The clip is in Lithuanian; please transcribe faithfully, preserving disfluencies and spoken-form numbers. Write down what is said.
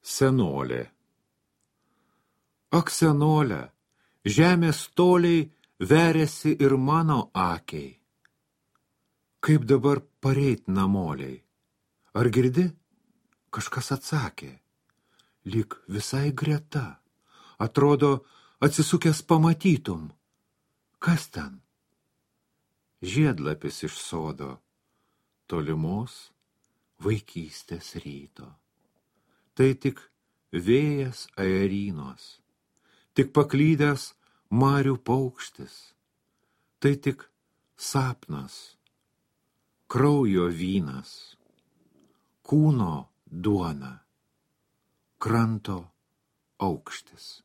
Senolė. Ak, senolė, žemės toliai veriasi ir mano akiai. Kaip dabar pareit namoliai? Ar girdi? Kažkas atsakė. Lyg visai greta. Atrodo, atsisukęs pamatytum. Kas ten? Žiedlapis iš sodo. Tolimos vaikystės ryto. Tai tik vėjas aerinos, tik paklydęs marių paukštis, tai tik sapnas, kraujo vynas, kūno duona, kranto aukštis.